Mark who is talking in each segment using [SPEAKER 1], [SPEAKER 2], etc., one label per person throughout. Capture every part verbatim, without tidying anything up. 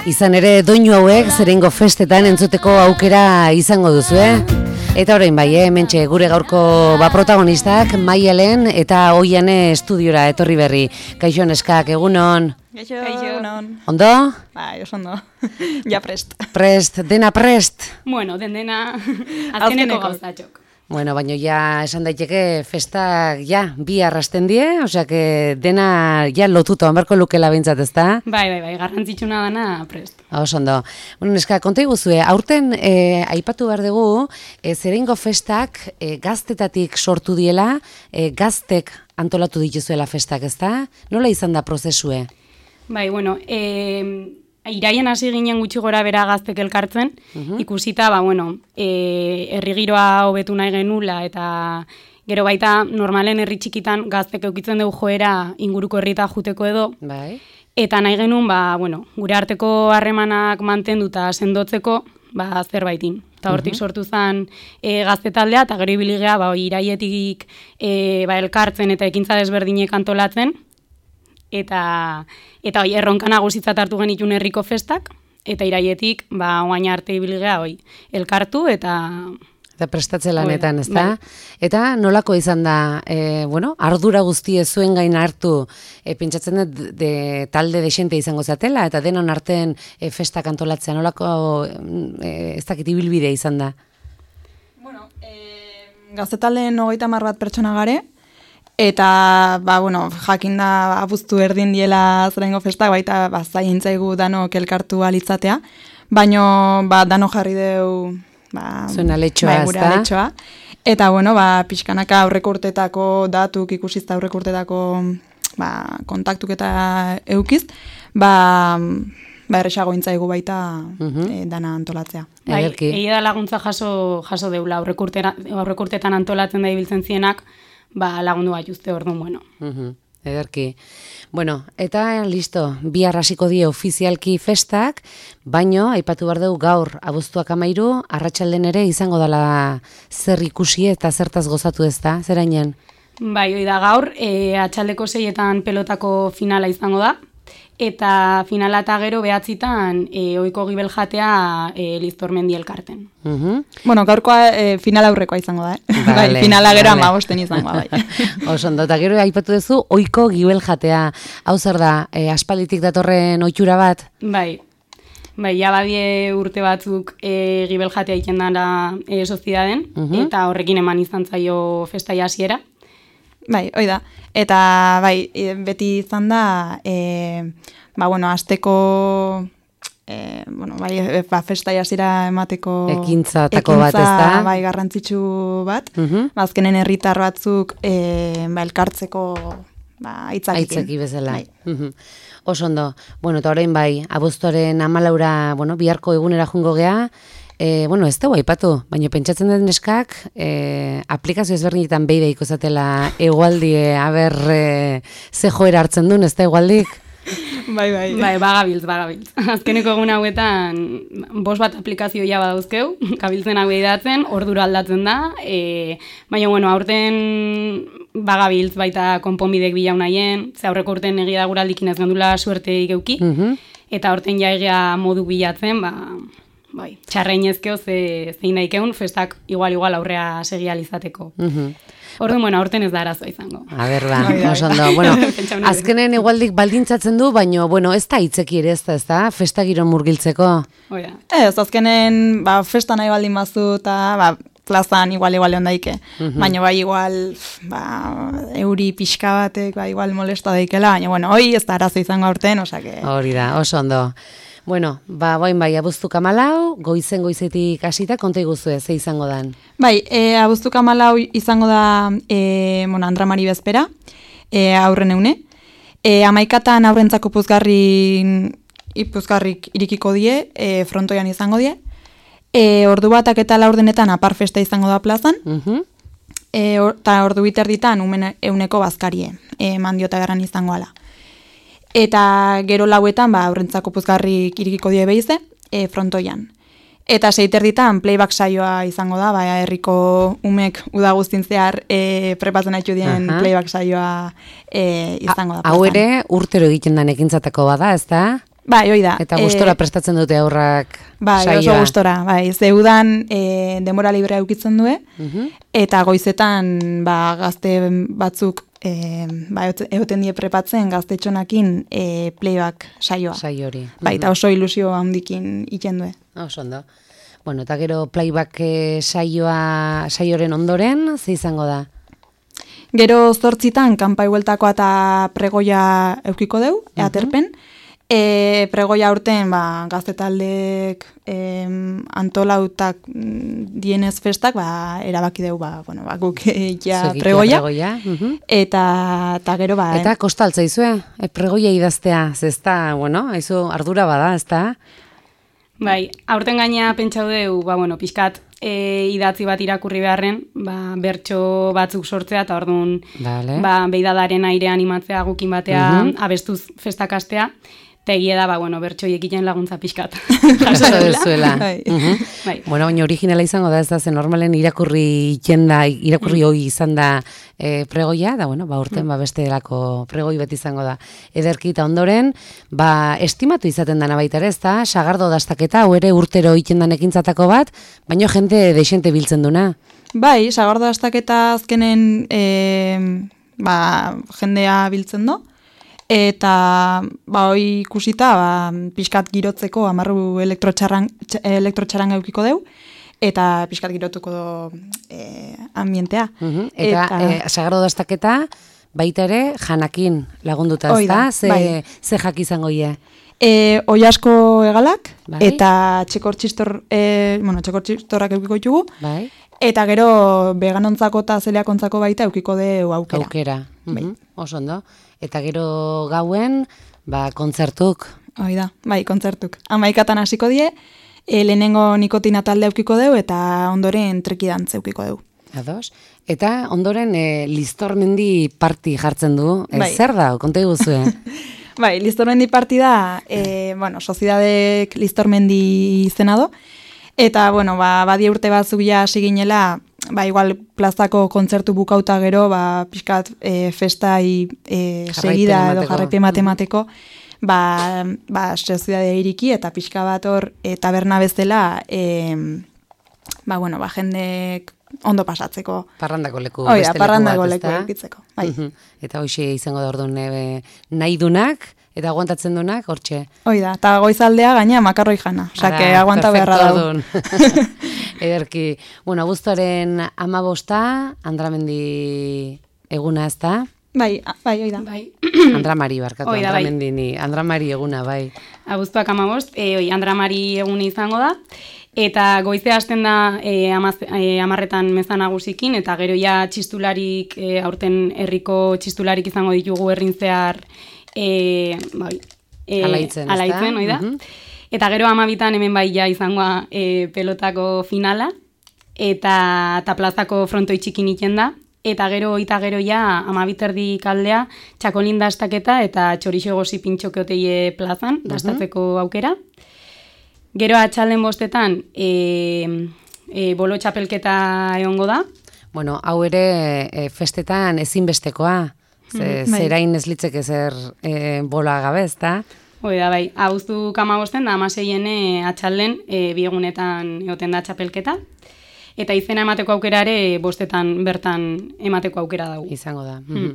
[SPEAKER 1] Izan ere doinu hauek zerengo festetan entzuteko aukera izango duzu, eh? Eta orain bai, eh? Hementxe gure gaurko ba protagonistak Maialen eta Oiane estudiora etorri berri. Kaixo neskak, egunon.
[SPEAKER 2] Kaixo, egunon.
[SPEAKER 1] Ondo?
[SPEAKER 2] Bai, oso ondo. Ja prest.
[SPEAKER 1] Prest, dena prest.
[SPEAKER 3] Bueno, den dena azkeneko gauzatxok.
[SPEAKER 1] Bueno, baina ja esan daiteke festak ja bi arrasten die, osea que dena ja lotuta onberko lukela behintzat, ezta?
[SPEAKER 3] Bai, bai, bai, garrantzitsuna dana prest.
[SPEAKER 1] Oso ondo. Bueno, neska, konta iguzue, aurten eh, aipatu behar dugu, eh, zerengo festak eh, gaztetatik sortu diela, eh, gaztek antolatu dituzuela festak, ezta? Nola izan da prozesue?
[SPEAKER 3] Bai, bueno, eh, iraien hasi ginen gutxi gora bera gaztek elkartzen, uh-huh. Ikusita, ba, bueno, e, herri giroa hobetu nahi genula, eta gero baita normalen herri txikitan gaztek eukitzen dugu joera inguruko herrita juteko edo,
[SPEAKER 1] bai.
[SPEAKER 3] Eta nahi genuen, ba, bueno, gure arteko harremanak mantenduta sendotzeko, ba, zerbaitin. Eta hortik uh-huh. sortu zen e, gazte taldea, eta gero ibiligea, ba, iraietik e, ba, elkartzen eta ekintza desberdinek antolatzen, eta eta oi erronka nagusitzat hartu genitun herriko festak, eta iraietik ba oain arte ibiligea hoi elkartu eta
[SPEAKER 1] eta prestatze lanetan, ezta? Bai. Eta nolako izan da, e, bueno, ardura guztie zuen gain hartu, e, pentsatzen dut de, talde desente izango zatela, eta denon artean e, festak antolatzea, nolako e, ez dakit ibilbide izan da?
[SPEAKER 2] Bueno, e, gazte taldeen hogeita hamar bat pertsona gare, eta, ba, bueno, jakin da abuztu erdin diela zerengo festak, baita, ba, zaientzaigu danok elkartu alitzatea, baino, ba, dano jarri deu, ba,
[SPEAKER 1] zuen aletxoa,
[SPEAKER 2] ba, gure aletxoa. Eta, bueno, ba, pixkanaka aurreko urtetako datuk ikusizta aurreko urtetako, ba, kontaktuk eta eukiz, ba, ba, erresago intzaigu baita uh-huh. e, dana antolatzea.
[SPEAKER 3] Bai, egia da laguntza jaso, jaso deula, aurreko urtetan antolatzen da ibiltzen zienak, ba, lagundu bat juzte orduan, bueno.
[SPEAKER 1] Uh-huh. Ederki. Bueno, eta listo, bihar hasiko die ofizialki festak, baino, aipatu behar dugu gaur abuztuak amairu, arratsalden ere izango dela zer ikusi eta zertaz gozatu ez da, zerainen?
[SPEAKER 3] Bai, hoi da gaur, e, atxaldeko seietan pelotako finala izango da, eta finala eta gero behatzitan e, oiko gibel jatea e, Liztormendi elkarten.
[SPEAKER 1] Uh-huh.
[SPEAKER 2] Bueno, gaurkoa e, final aurrekoa izango da, eh?
[SPEAKER 1] Vale,
[SPEAKER 2] bai, finala gero
[SPEAKER 1] vale.
[SPEAKER 2] amabosten izango da. Bai.
[SPEAKER 1] Oso ondo, eta gero aipatu duzu oiko gibel jatea. Hau zer da, e, aspalditik datorren ohitura bat?
[SPEAKER 3] Bai, bai, ja badie urte batzuk e, gibel jatea iken dara e, sozidaden, uh-huh. eta horrekin eman izan zaio festai hasiera.
[SPEAKER 2] Bai, hoi da. Eta bai, beti izan da, e, ba, bueno, asteko, e, bueno, bai, ba, festai hasiera emateko
[SPEAKER 1] ekintzatako bat, ez da?
[SPEAKER 2] Bai, garrantzitsu bat.
[SPEAKER 1] Uh-huh.
[SPEAKER 2] Ba, azkenen herritar batzuk e, ba, elkartzeko ba, aitzakikin.
[SPEAKER 1] Aitzaki bezala.
[SPEAKER 2] Bai.
[SPEAKER 1] Uh-huh. Oso ondo. Bueno, eta orain bai, abuztuaren hamalaura, bueno, biharko egunera jungo gea, E, bueno, ez dugu aipatu, baina pentsatzen den neskak e, aplikazio ezberdinetan behi behiko zatela egualdie, aber e, ze joera hartzen duen, ez da egualdik?
[SPEAKER 2] Bai, bai.
[SPEAKER 3] Bai, bagabiltz, bagabiltz. Azkeneko egun hauetan, bost bat aplikazio ja badauzkeu, kabiltzen hau edatzen, ordura aldatzen da, e, baina, bueno, aurten bagabiltz baita konponbidek bilau nahien, ze aurreko urten egia da guraldikin ez gendula suerte ikeuki, uh-huh. eta aurten ja egia modu bilatzen, ba... Bai, txarreinezkeo ze zein daikeun festak igual igual aurrea segializateko. Mhm. Orduan, bueno, aurten ez da arazoa izango.
[SPEAKER 1] A ber, ba, oso ondo. Bueno, azkenen igualdik baldintzatzen du, baina, bueno, ez da hitzeki ere ez da, ez da, festa giro murgiltzeko.
[SPEAKER 3] Oida.
[SPEAKER 2] Ez, azkenen, ba, festa nahi baldin bazu, eta, ba, plazan igual igual ondaike. Uh-huh. Baina, bai, igual, ba, euri pixka batek, ba, igual molesta daikela, baina, bueno, hoi ez da arazo izango aurten, osake.
[SPEAKER 1] Hori da, oso ondo. Bueno, ba, boin bai, abuztuka malau, goizen goizetik hasita, konta iguzue, ze izango dan?
[SPEAKER 2] Bai, e, abuztuka malau izango da, e, bueno, Andra Mari bezpera, e, aurren eune. E, amaikatan aurrentzako puzgarri, ipuzgarrik irikiko die, e, frontoian izango die. E, ordu batak eta laurdenetan apar festa izango da plazan. Uh-huh. E, or, ta ordu biterditan umen euneko bazkarie, e, mandiota garran izango ala. Eta gero lauetan, ba, aurrentzako puzgarrik irikiko die behize, e, frontoian. Eta seiterditan playback saioa izango da, ba, herriko umek uda guztin zehar e, prepatzen haitu dien uh-huh. playback saioa e, izango da.
[SPEAKER 1] Hau ere urtero egiten da ekintzatako bada, ez da?
[SPEAKER 2] Bai, hoi da.
[SPEAKER 1] Eta gustora prestatzen dute aurrak
[SPEAKER 2] bai,
[SPEAKER 1] saioa.
[SPEAKER 2] Oso gustora, bai. Zeudan e, denbora librea eukitzen due,
[SPEAKER 1] Mhm.
[SPEAKER 2] eta goizetan ba, gazte batzuk e, ba, egoten die prepatzen gaztetxonakin e, playback saioa.
[SPEAKER 1] Saio hori.
[SPEAKER 2] Bai, eta oso ilusio handikin iten due.
[SPEAKER 1] Oso ondo. Bueno, eta gero playback eh, saioa saioren ondoren, ze izango da?
[SPEAKER 2] Gero zortzitan, kanpai bueltakoa eta pregoia eukiko deu,
[SPEAKER 1] Mhm.
[SPEAKER 2] eaterpen. E, pregoia aurten ba, gazte taldek e, antolautak mm, dienez festak ba, erabaki deu ba, bueno, ba, guk e, ja
[SPEAKER 1] Segitua
[SPEAKER 2] pregoia.
[SPEAKER 1] pregoia. Mhm.
[SPEAKER 2] Eta, eta gero ba...
[SPEAKER 1] Eta kostaltza izue, e, pregoia idaztea, ze ez da, bueno, haizu ardura bada, ez da?
[SPEAKER 3] Bai, aurten gaina pentsau deu, ba, bueno, pixkat e, idatzi bat irakurri beharren, ba, bertso batzuk sortzea, eta orduan,
[SPEAKER 1] Vale.
[SPEAKER 3] ba, beidadaren aire animatzea gukin batea
[SPEAKER 1] Mhm.
[SPEAKER 3] abestuz festakastea, eta egia da, ba, bueno, bertso egiten laguntza pixkat.
[SPEAKER 1] Jaso dezuela.
[SPEAKER 2] Bai.
[SPEAKER 1] Mhm.
[SPEAKER 3] Bai.
[SPEAKER 1] Bueno, baina originala izango da, ez da, zen normalen irakurri ikenda, irakurri hoi izan da e, pregoia, da, bueno, ba, urten, ba, beste delako pregoi bat izango da. Ederki eta ondoren, ba, estimatu izaten dana baita ere, ez da, sagardo dastaketa, hau ere urtero ikendan ekintzatako bat, baina jende deixente biltzen duna.
[SPEAKER 2] Bai, sagardo astaketa azkenen e, ba, jendea biltzen do. Eta ba, hoi ikusita ba, pixkat girotzeko amarru elektrotxarran, elektrotxarran eukiko deu, eta pixkat girotuko do e, ambientea.
[SPEAKER 1] Mhm. Eta, e, sagardo dastaketa, baita ere, janakin lagunduta, ez
[SPEAKER 2] Hoi
[SPEAKER 1] da?
[SPEAKER 2] da,
[SPEAKER 1] Ze,
[SPEAKER 2] bai.
[SPEAKER 1] ze jak izango ie?
[SPEAKER 2] E, oi asko egalak,
[SPEAKER 1] Bai.
[SPEAKER 2] eta txekor txistor, e, bueno, txekor txistorrak eukiko ditugu,
[SPEAKER 1] Bai?
[SPEAKER 2] eta gero veganontzako eta zeleakontzako baita eukiko deu aukera.
[SPEAKER 1] Aukera.
[SPEAKER 2] Bai.
[SPEAKER 1] Mhm. Oso ondo. Eta gero gauen, ba, kontzertuk.
[SPEAKER 2] Hoi da, bai, kontzertuk. Amaikatan hasiko die, e, lehenengo nikotina talde eukiko deu, eta ondoren trekidantz eukiko deu.
[SPEAKER 1] Ados? Eta ondoren e, Listormendi parti jartzen du. E,
[SPEAKER 2] Bai.
[SPEAKER 1] Zer da? Konta iguzue.
[SPEAKER 2] Bai, Listormendi partida, e, bueno, Soziedadek Listormendi izena do, eta, bueno, ba, badie urte batzuk ja hasi ginela, ba, igual plazako kontzertu bukauta gero, ba, pixkat e, festai e,
[SPEAKER 1] Jarraipen
[SPEAKER 2] segida edo
[SPEAKER 1] emateko.
[SPEAKER 2] jarraipen matemateko, ba, ba, Soziedadea iriki eta pixka bat hor e, taberna bezala, e, ba, bueno, ba, jendek ondo pasatzeko.
[SPEAKER 1] Parrandako leku.
[SPEAKER 2] Hoi da,
[SPEAKER 1] beste leku
[SPEAKER 2] parrandako
[SPEAKER 1] bat,
[SPEAKER 2] leku
[SPEAKER 1] ezta?
[SPEAKER 2] eukitzeko. Bai.
[SPEAKER 1] Mhm. Eta hoxe izango da orduan e, nahi dunak, eta aguantatzen dunak, hortxe.
[SPEAKER 2] Hoi da, eta goizaldea gaina makarroi jana, osea, que
[SPEAKER 1] Ara,
[SPEAKER 2] aguanta beharra
[SPEAKER 1] perfecto,
[SPEAKER 2] dago.
[SPEAKER 1] orduan. Ederki. Bueno, abuztuaren amabosta, Andramendi eguna, ez da?
[SPEAKER 2] Bai, a- bai, hoi da.
[SPEAKER 3] Bai.
[SPEAKER 1] Andramari, barkatu,
[SPEAKER 3] Hoi da, bai.
[SPEAKER 1] Andramendini. Andramari eguna, bai.
[SPEAKER 3] Abuztuak amabost, e, oi, Andramari egune izango da, eta goizea hasten da e, amaz, e, amarretan meza nagusikin, eta gero ja txistularik, e, aurten herriko txistularik izango ditugu herrin zehar, e, bai, e,
[SPEAKER 1] Alaitzen, ezta?
[SPEAKER 3] alaitzen, oi da?
[SPEAKER 1] Mhm.
[SPEAKER 3] Eta gero amabitan hemen bai ja izangoa e, pelotako finala, eta, eta plazako frontoi txikin iten da, eta gero eta gero ja amabiterdi kaldea txakolin dastaketa eta txorixo gozi pintxokeoteie plazan dastatzeko aukera. Gero atxalden bostetan e, e, bolo txapelketa egongo da.
[SPEAKER 1] Bueno, hau ere e, festetan ezinbestekoa. Ze,
[SPEAKER 2] Mhm, bai.
[SPEAKER 1] zerain ez litzeke zer e, bola gabe, ezta?
[SPEAKER 3] Hoi da, bai, abuztu kamabosten da amaseien e, atxalden e, biegunetan egoten da txapelketa. Eta izena emateko aukerare bostetan bertan emateko aukera dugu.
[SPEAKER 1] Izango da. Mhm.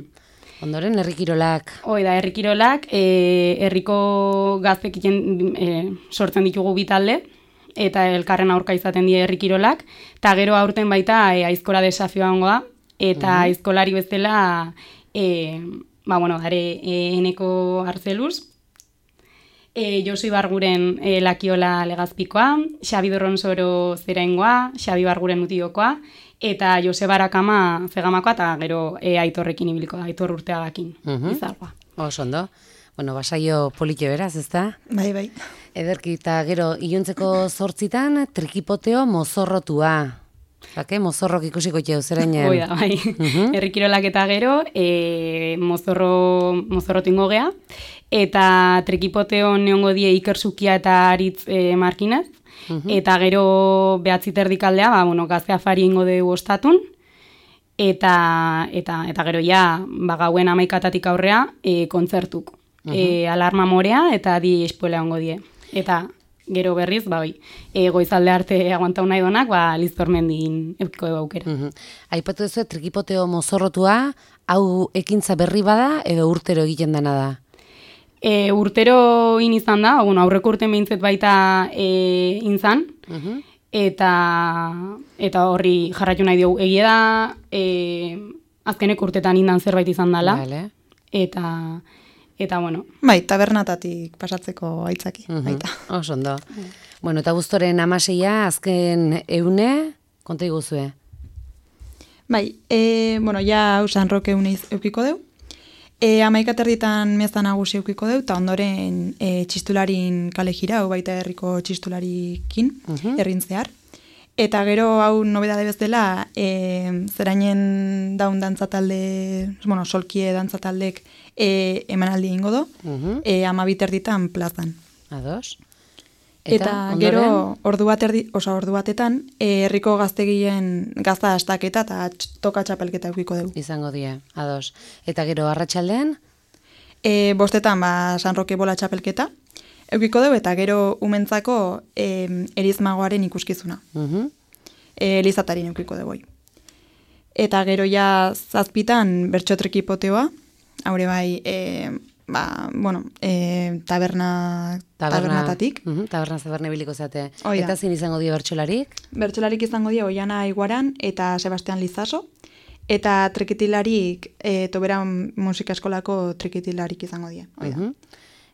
[SPEAKER 1] Ondoren, herrikirolak.
[SPEAKER 3] Hoi da, herrikirolak, e, herriko gaztek iten, e, sortzen ditugu bi talde, eta elkarren aurka izaten die herrikirolak, eta gero aurten baita e, aizkora desafioa hongo da, eta aizkolari bezala, e, ba, bueno, dare, e, eneko arzeluz, e, Josu Ibarguren e, lakiola legazpikoa, Xabi Dorronsoro zeraingoa, Xabi Barguren utiokoa, eta Joseba Arakama zegamakoa, eta gero e, Aitorrekin ibiliko da, Aitor Urteagakin,
[SPEAKER 1] Mhm.
[SPEAKER 3] izargoa.
[SPEAKER 1] Oso ondo. Bueno, basaio politxe beraz, ezta?
[SPEAKER 2] Bai, bai.
[SPEAKER 1] Ederki, eta gero, iluntzeko zortzitan, trikipoteo mozorrotua. Zake, mozorrok ikusiko txeu, zerainen.
[SPEAKER 3] Hoi da, bai. Herrikirolak eta gero, e, mozorro, mozorrotu ingo gea, eta trikipoteo neongo die ikersukia eta aritz e, markinez, eta gero behatzi terdikaldea, ba, bueno, gazte afari ingo dugu ostatun, eta, eta, eta gero ja, ba, gauen amaikatatik aurrea, e, kontzertuk. e, alarma morea eta di espuela ongo die. Eta gero berriz, ba, bai, e, goizalde arte aguantau nahi donak, ba, Liztormendin eukiko dugu aukera.
[SPEAKER 1] Uh-huh. Aipatu duzu, trikipoteo mozorrotua, hau ekintza berri bada edo urtero egiten dena da?
[SPEAKER 3] E, urtero in izan da, bueno, aurreko urten behintzet baita e, inzan, uh-huh. eta, eta horri jarratu nahi dugu. Egia da, e, azkenek urtetan indan zerbait izan dela, vale. eta... Eta, bueno.
[SPEAKER 2] Bai, tabernatatik pasatzeko aitzaki, uh-huh. baita.
[SPEAKER 1] Oso ondo. Uh-huh. Bueno, eta guztoren amaseia, azken eune, konta iguzue?
[SPEAKER 2] Bai, e, bueno, ja hau San Roque euneiz eukiko deu. E, Amaikaterditan meza nagusi eukiko deu, eta ondoren e, txistularin kale jira, hau baita herriko txistularikin, uh-huh. errin zehar. Eta gero hau nobedade bezala, e, zerainen daun dantzatalde, bueno, solkie dantzataldek e, emanaldi ingo do, uh-huh. e, amabiterditan plazan.
[SPEAKER 1] Ados.
[SPEAKER 2] Eta, eta gero ordu, bat erdi, osa, ordu batetan, e, herriko gaztegien gazta astaketa eta toka txapelketa eukiko dugu.
[SPEAKER 1] Izango die, ados. Eta gero arratsaldean?
[SPEAKER 2] E, bostetan, ba, San Roque bola txapelketa. Eukiko dugu eta gero umentzako e, erizmagoaren ikuskizuna. Uh-huh. E, Elizatarin eukiko dugu. Eta gero ja zazpitan bertxotrekipoteoa, haure bai, e, ba, bueno, e, taberna,
[SPEAKER 1] taberna
[SPEAKER 2] tabernatatik.
[SPEAKER 1] Uh-huh, taberna zaberne biliko zate. Oida. Eta zin izango dio bertxolarik?
[SPEAKER 2] Bertxolarik izango dio Oiana Iguaran eta Sebastian Lizaso. Eta trikitilarik, e, Toberan musika eskolako trikitilarik izango die. Oida. Uh-huh.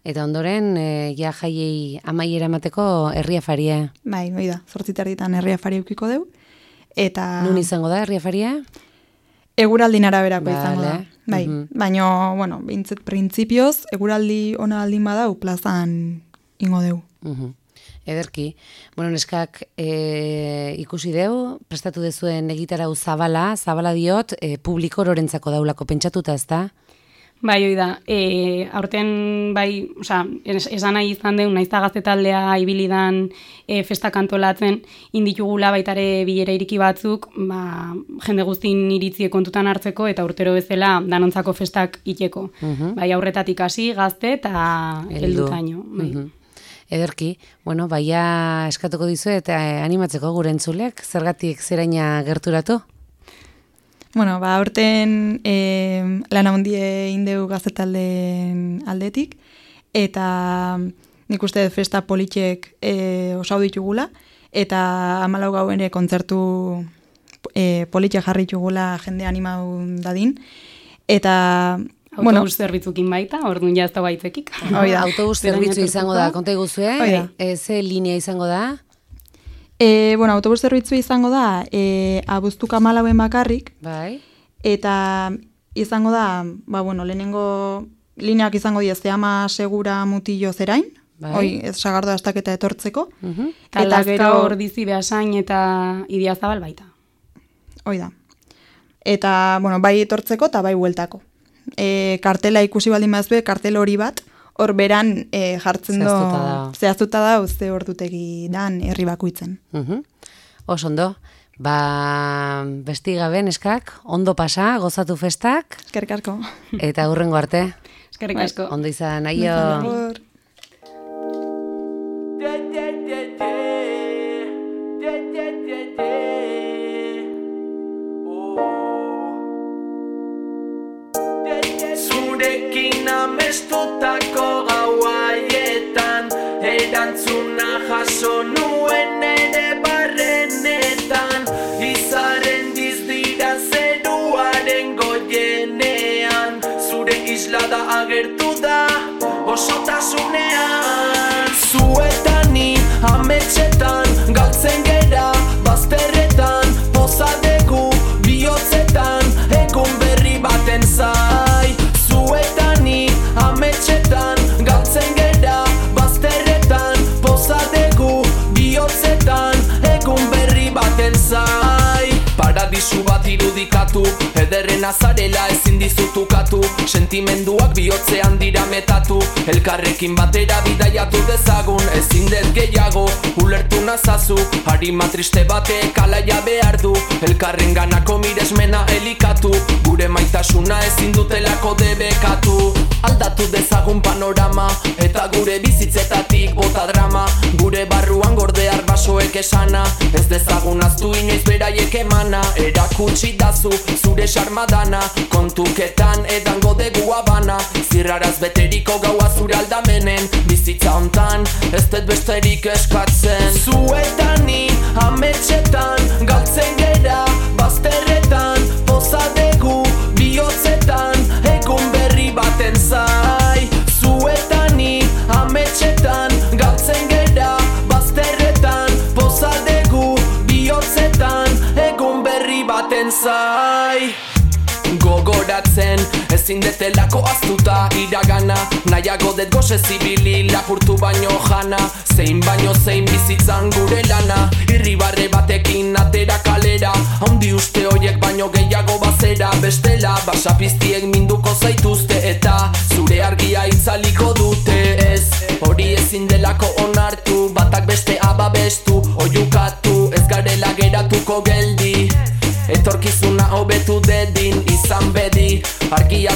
[SPEAKER 1] Eta ondoren, e, ja jaiei amaiera emateko herriafaria.
[SPEAKER 2] Bai, hoi da, zortziterditan herriafaria eukiko deu. Eta...
[SPEAKER 1] Nun izango da herriafaria?
[SPEAKER 2] Eguraldin araberako vale. Izango da. Bai,
[SPEAKER 1] uh-huh.
[SPEAKER 2] baina, bueno, bintzet printzipioz, eguraldi ona aldin badau plazan ingo deu.
[SPEAKER 1] Uh-huh. Ederki. Bueno, neskak e, ikusi deu, prestatu dezuen egitarau zabala, zabala diot, e, publiko lorentzako daulako pentsatuta, ez da?
[SPEAKER 3] Bai, hoi da, e, aurten bai, oza, esan nahi izan deun, naizta gaztetaldea ibilidan e, festak antolatzen, inditugula baitare bilera iriki batzuk, ba, jende guztin iritzie kontutan hartzeko, eta urtero bezala danontzako festak iteko. Uh-huh. Bai, aurretatik hasi gazte eta heldutaino. Bai.
[SPEAKER 1] Uh-huh. Ederki, bueno, baia eskatuko dizu eta animatzeko gure entzulek, zergatik zeraina gerturatu?
[SPEAKER 2] Bueno, ba, aurten e, lan handie indeu gazetalden aldetik, eta nik uste festa politxek e, osau ditugula, eta hamalau gau ere kontzertu e, politxek jarri ditugula jende animau dadin, eta...
[SPEAKER 3] Autobus bueno, zerbitzukin baita, orduan jazta baitzekik.
[SPEAKER 1] Oida, autobus zerbitzu izango da, konta iguzue, e, ze linea izango da?
[SPEAKER 2] E, bueno, autobus zerbitzu izango da, e, abuztuka malauen bakarrik,
[SPEAKER 1] bai.
[SPEAKER 2] Eta izango da, ba, bueno, lehenengo lineak izango die Zeama Segura Mutillo Zerain, bai. Hoi, ez sagardo astaketa etortzeko.
[SPEAKER 3] Uh-huh. Eta, eta gero Ordizi Beasain eta Idiazabal baita.
[SPEAKER 2] Hoi da. Eta, bueno, bai etortzeko eta bai bueltako. E, kartela ikusi baldin bazue, kartel hori bat, hor beran e, jartzen do, zehaztuta da, uste ordutegi dan herri bakuitzen.
[SPEAKER 1] Uh-huh. Oso ondo, ba, besti gabe neskak, ondo pasa, gozatu festak.
[SPEAKER 2] Eskerrik asko.
[SPEAKER 1] Eta hurrengo arte.
[SPEAKER 3] Eskerrik asko.
[SPEAKER 1] Ondo izan, aio.
[SPEAKER 4] Zurekin amestutako gauaietan, erantzuna jaso nuen ere barrenetan, izaren dizdira zeruaren goienean, zure islada agertu da osotasunean. Zuetani ametxetan, galtzen gera bazterretan, pozadegu bihotzetan, egun berri baten zai. Zuetani ametxetan, galtzen gera bazterretan, pozadegu bihotzetan, egun berri baten zai. Paradisu bat irudikatu, ederren azarela ezin dizutukatu, sentimenduak bihotzean dira metatu, elkarrekin batera bidaiatu dezagun, ezin dez gehiago, ulertu nazazu, harima triste batek alaia behar du, elkarren ganako miresmena elikatu, gure maitasuna ezin dutelako debekatu, aldatu dezagun panorama, eta gure bizitzetatik bota drama, gure barruan gorde arbasoek esana, ez dezagun aztu inoiz beraiek emana, erakutsi dazu zure sarmadana, kontuketan edango degu abana, zirraraz beteriko gaua zure aldamenen, bizitza hontan ez dut besterik eskatzen. Zuetani ametxetan galtzen gera, bazterretan pozadegu bihotzetan, egun berri baten zai. Zuetani ametxetan galtzen gera, bazterretan pozadegu bihotzetan, egun berri baten zai. Gogoratzen ezin detelako aztuta iragana, nahiago dut goze zibili lapurtu baino jana, zein baino zein bizitzan gure lana, irribarre batekin atera kalera, haundi uste hoiek baino gehiago bazera, bestela basapiztiek minduko zaituzte eta zure argia itzaliko dute, ez hori ezin delako onartu, batak beste ababestu, oiukatu, ez garela geratuko geldi, etorkizuna hobetu dedin izan bedi, argia